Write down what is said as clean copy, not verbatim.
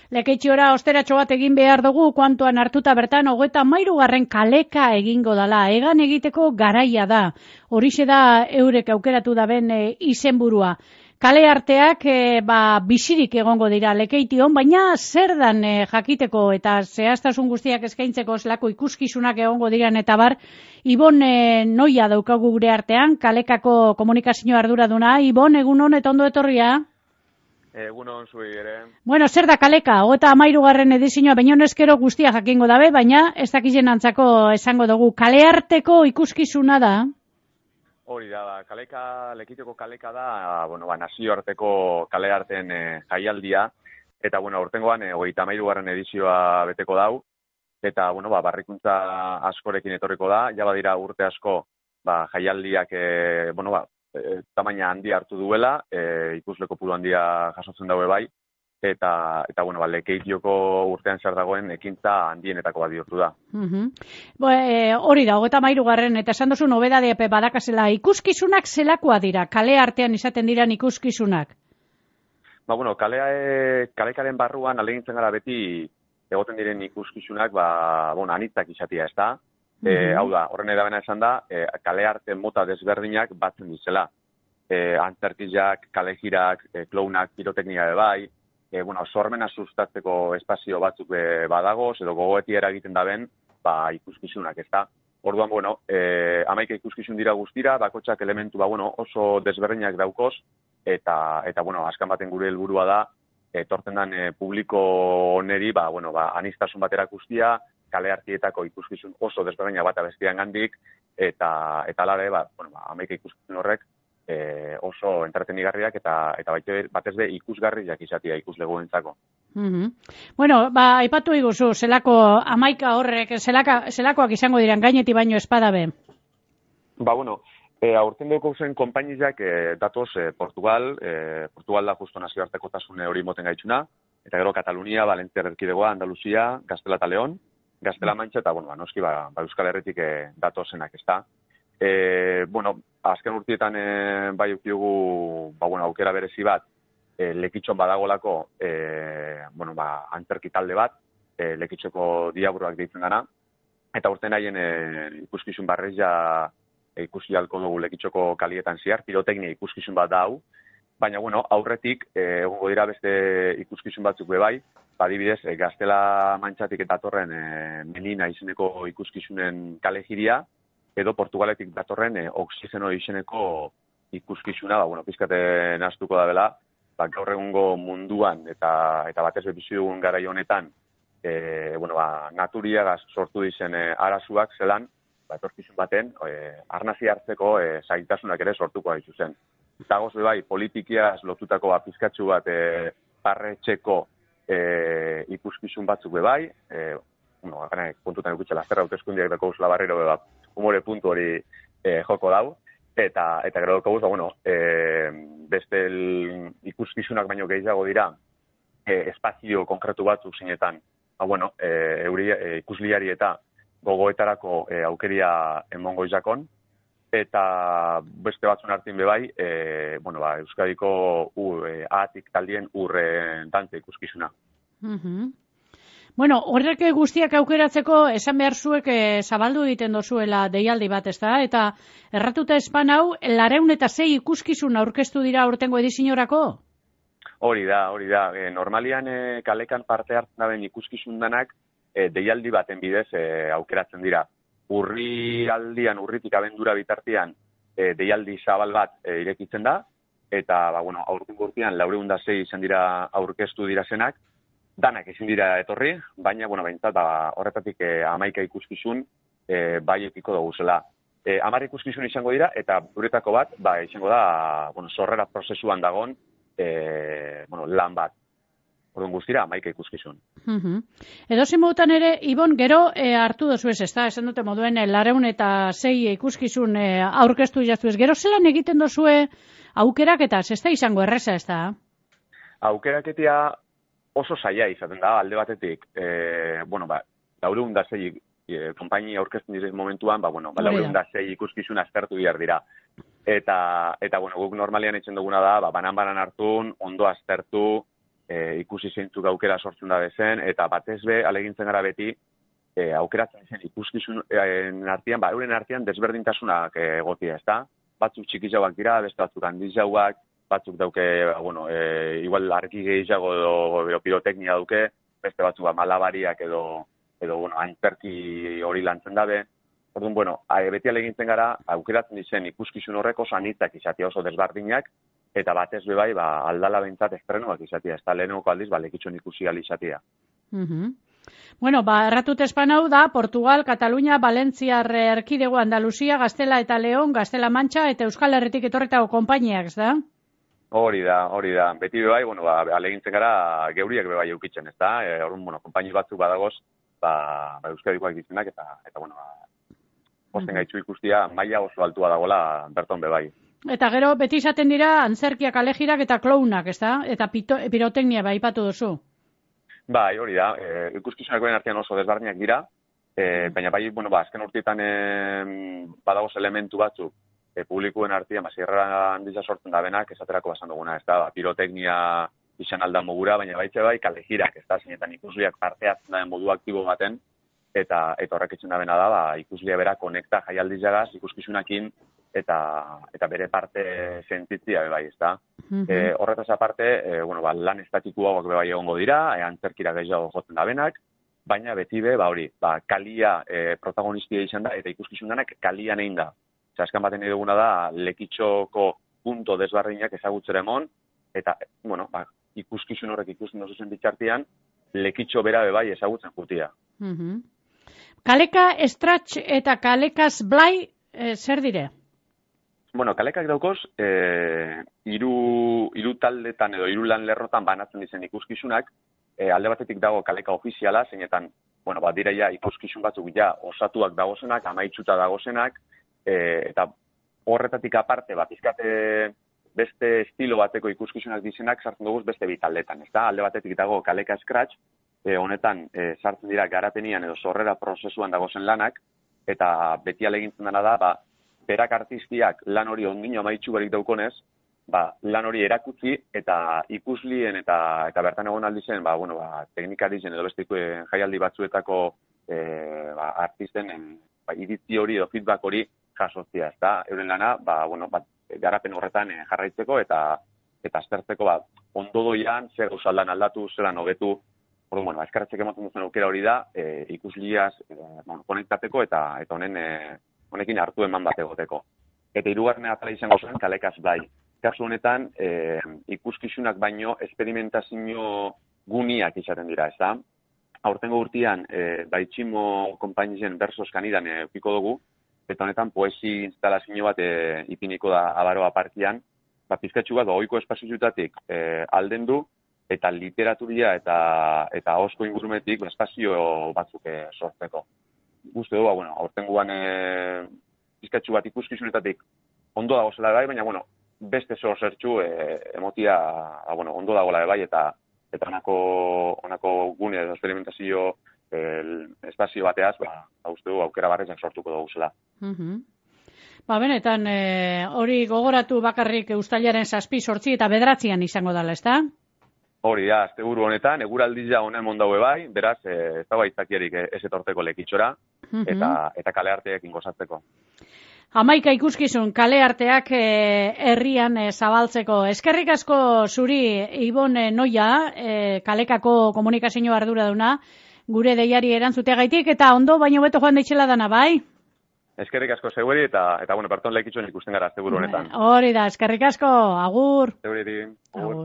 Lekeitxiora osteratxo bat egin behar dugu, kuantuan hartuta bertan, 33. kaleka egingo dala. Egan egiteko garaia da. Horixe da eurek aukeratu daben izenburua. Kale arteak bizirik egongo dira Lekeition, baina zer dan jakiteko eta zehaztasun guztiak eskaintzeko zelako ikuskizunak egongo diran eta bar, Ibon Noia daukagu gure artean, kalekako komunikazio arduraduna. Ibon, egunon eta ondo etorria? Egunon zui ere. Bueno, zer da kaleka? 33. edizioa bainonezkero guztia jakingo dabe, baina ez dakizen antzako esango dugu. Kale arteko ikuskizuna da? Hori da, Lekeitioko kaleka da, nazioarteko kale arten jaialdia, eta, aurtengoan 33. edizioa beteko dau, eta, barrikuntza askorekin etorriko da, ja badira urte asko, jaialdiak, tamaina handia hartu duela, ikusle kopuru handia jasotzen daue bai, eta Lekeitioko urtean zer dagoen ekintza handienetako bat bihurtu da. Hori da, 33. eta esan duzu nobedade badakazela, ikuskizunak zelakoa dira, kale artean izaten diran ikuskizunak? Kalekaren barruan alegintzen gara beti egoten diren ikuskizunak, anitzak izatea, ez da? Hau da, horren edabena esan da, kale arte mota desberdinak batzen dizela. Antzerkizak, kalejirak, klounak, piroteknika bai, sormena sustatzeko espazio batzuk badagoz, edo gogoetiera egiten daben, ikuskizunak, ez da. Orduan, 11 ikuskizun dira guztira, bakotxak elementu, oso desberdinak daukoz, eta askan baten gure helburua da, etortzen den publiko oneri, anistasun bat erakustia, kale artietako ikuskizun oso desberdinak bat abestian gandik, eta alare, 11 ikuskizun horrek, oso entretenigarriak eta batez be ikusgarriak izatea ikuslegoentzako. Aipatu iguzu, zelako 11 horrek, zelakoak izango diran gainetik baino espadabe? Aurten duko zen konpainizak datoz Portugal da justo nazioartekotasun hori moten gaitxuna, eta gero Katalunia, Valentzia erkidegoa, Andaluzia, Gaztela eta Leon, Gaztela Mantxa eta noski Euskal Herritik datozenak, ez da. Azken urtietan bai ukiugu aukera berezi bat, Lekitxon badagolako antzerki talde bat, Lekitxoko diaburuak deitzen dana, eta urten haien ikuskizun barreza ikusi halko dugu Lekitxoko kalietan ziar, piroteknia ikuskizun bat dau, baina aurretik egongo dira beste ikuskizun batzuk bebai, adibidez Gaztela Mantxatik eta datorren Melina izeneko ikuskizunen kalejiria, edo Portugaletik datorren oxigeno izeneko ikuskizuna, pizkate naztuko da bela, gaur egungo munduan eta batez bizi dugun garai honetan, naturiagaz sortu dizen arazuak zelan, etorkizun baten, arnazi hartzeko zailtasunak ere sortuko haizu zen. Zagoz bai, politikiaz lotutako pizkatxu bat parretxeko ikuskizun batzuk bebai, kontutan ikutxela zerra hauteskundiak dako usla barriro humore puntu hori joko dau, eta gero dako beste ikuskizunak baino gehiago dira espazio konkretu batzuk zinetan, ikusliari eta gogoetarako aukeria emongo izakon, eta beste batzun hartin bebai, Euskadiko ahatik taldien dantze ikuskizuna. Horrek guztiak aukeratzeko esan behar zuek zabaldu egiten dozuela deialdi bat, ez da? Eta erratuta espan hau, 206 ikuskizun aurkeztu dira aurtengo edizioarako? Hori da. Normalian kalekan parte hartzen daben ikuskizun danak deialdi baten bidez aukeratzen dira. Urritik abendura bitartean deialdi zabal bat irekitzen da, eta aurtengo urtean 206 izan dira aurkeztu dira zenak, danak ezin dira etorri, baina, behintzat, horretatik 11 ikuskizun bai ekiko dugu zela. 10 ikuskizun izango dira, eta duretako bat, izango da, sorrera prozesuan dagon, lan bat. Orduan guztira, 11 ikuskizun. Edozein modutan ere, Ibon, gero hartu dozu ez da, esan dute moduen 206 ikuskizun aurkeztu jaztu ez. Gero zelan egiten dozue aukeraketa, ez da izango erreza ez da? Aukeraketia oso zaila izaten da, alde batetik, 206 konpainia aurkezten diren momentuan, 206 ikuskizun aztertu behar dira. Eta guk normalian etxen duguna da, banan hartun, ondo aztertu, ikusi zeintzuk aukera sortzen da bezen, eta batez be, alegintzen gara beti, aukeratzen zen ikuskizun artean, euren artean desberdintasunak egotia, ez da? Batzuk txikizauak dira, beste batzuk handizauak, batzuk dauke, igual argi gehiago edo piroteknia dauke, beste batzuk malabariak edo antzerki hori lantzen dabe. Orduan, beti alegintzen gara, aukeratzen dizen ikuskizun horrek oso anitzak izatea oso desberdinak, eta batez be bai, aldala behintzat estrenoak izatea, ez da lehenoko aldiz, lekitxon ikusi gali izatea. Bueno, erratut espanau da, Portugal, Katalunia, Valentziar erkidego, Andaluzia, Gaztela eta Leon, Gaztela Mantxa eta Euskal Herritik etorretako konpainiak, ez da? Hori da. Beti be bai, alegintzen gara geuriak be bai eukitzen, ez da? Orduan, konpaini batzuk badagoz, Euskadikoak dizenak, eta posten gaitzu ikustia, maila oso altua dagoela berton be bai. Eta gero, beti izaten dira, antzerkiak, alejirak eta klounak, ez da? Eta piroteknia bai ipatu duzu. Bai, hori da, ikuskizunakoen artean oso desbardinak dira, baina bai, azken urteetan badagoz elementu batzuk, publikuen artean, zirrara handiza sortzen da benak, esaterako basan duguna, ez da, piroteknia izan aldan mogura, baina baitze bai, kalejirak, ez da, zinetan ikusliak parte hartzen da modu aktibo baten, eta horrek etxen da bena da, ikuslia bera konekta jaialdiz jagaz, ikuskizunakin, eta bere parte sentitzia bai, ez da. Horretaz aparte, lan estatikuak bai egongo dira, antzerkira gehiago jotzen da benak, baina beti be, kalia protagonistia izan da, eta ikuskizunanak kalian egin da. Azkan baten eduguna da, lekitxoko punto desbardinak ezagutzera emon, eta, ikuskizun horrek ikusten dozu zen bitxartian, lekitxo bera be bai ezagutzen jutia. Kaleka estratx eta kalekaz blai, zer dire? Kalekak daukoz, hiru taldetan edo hiru lan lerrotan banatzen dizen ikuskizunak, alde batetik dago kaleka ofiziala, zeinetan, dira ikuskizun batzuk osatuak dagozenak, amaitsuta dagozenak, eta horretatik aparte, pizkate beste estilo bateko ikuskizunak dizenak sartzen dugu beste bi taldetan, ez da? Alde batetik dago kaleka scratch, honetan sartzen dira garapenian edo sorrera prozesuan dagozen lanak, eta beti alegintzen dena da, berak artistiak lan hori ondino amaitsu barik daukonez, lan hori erakutsi eta ikuslien eta bertan egon aldizen, teknikarizen edo beste jaialdi batzuetako artisten iritzi hori edo feedback hori jasotzia, ez da? Euren lana, garapen horretan jarraitzeko eta aztertzeko ondo doian, zer gausaldan aldatu, zelan hobetu, eskarretzek ematen duzen aukera hori da, ikusliaz konektateko eta honekin hartu eman bat egoteko. Eta hirugarren atala izango zen kalekaz blai. Kasu honetan, ikuskizunak baino esperimentazio guniak izaten dira, ez da? Aurtengo urtean, Baitximo konpainien Bersos Kanidan eukiko dugu, eta honetan poesi instalazio bat ipiniko da Abaroa parkian, pizkatxu bat ohiko espaziotutatik alden du, eta literaturia eta ahozko ingurumetik espazio batzuk sortzeko. Uste du, aurtengoan pizkatxu bat ikuskizunetatik ondo dago zela bai, baina, beste zertxu emotia, ondo dagoela bai, eta honako gune edo experimentazio espazio bateaz, uste du, aukera barrezak sortuko dugu zela. Benetan, hori gogoratu bakarrik uztailaren 7, 8 eta 9 izango dela, ez da? Hori da, asteburu honetan, eguraldia honen mondaue bai, beraz, ez da baitzakiarik ez etorteko lekitxora, eta kale arteekin gozatzeko. 11 ikuskizun kale arteak herrian zabaltzeko. Eskerrik asko zuri, Ibon Noia, kalekako komunikazio arduraduna, gure deiari erantzuteagaitik, eta ondo baino beto joan daitxela dana, bai? Eskerrik asko zeueri, eta berton lekitxoen ikusten gara asteburu honetan. Hori da, eskerrik asko, agur. Zeuriri, agur.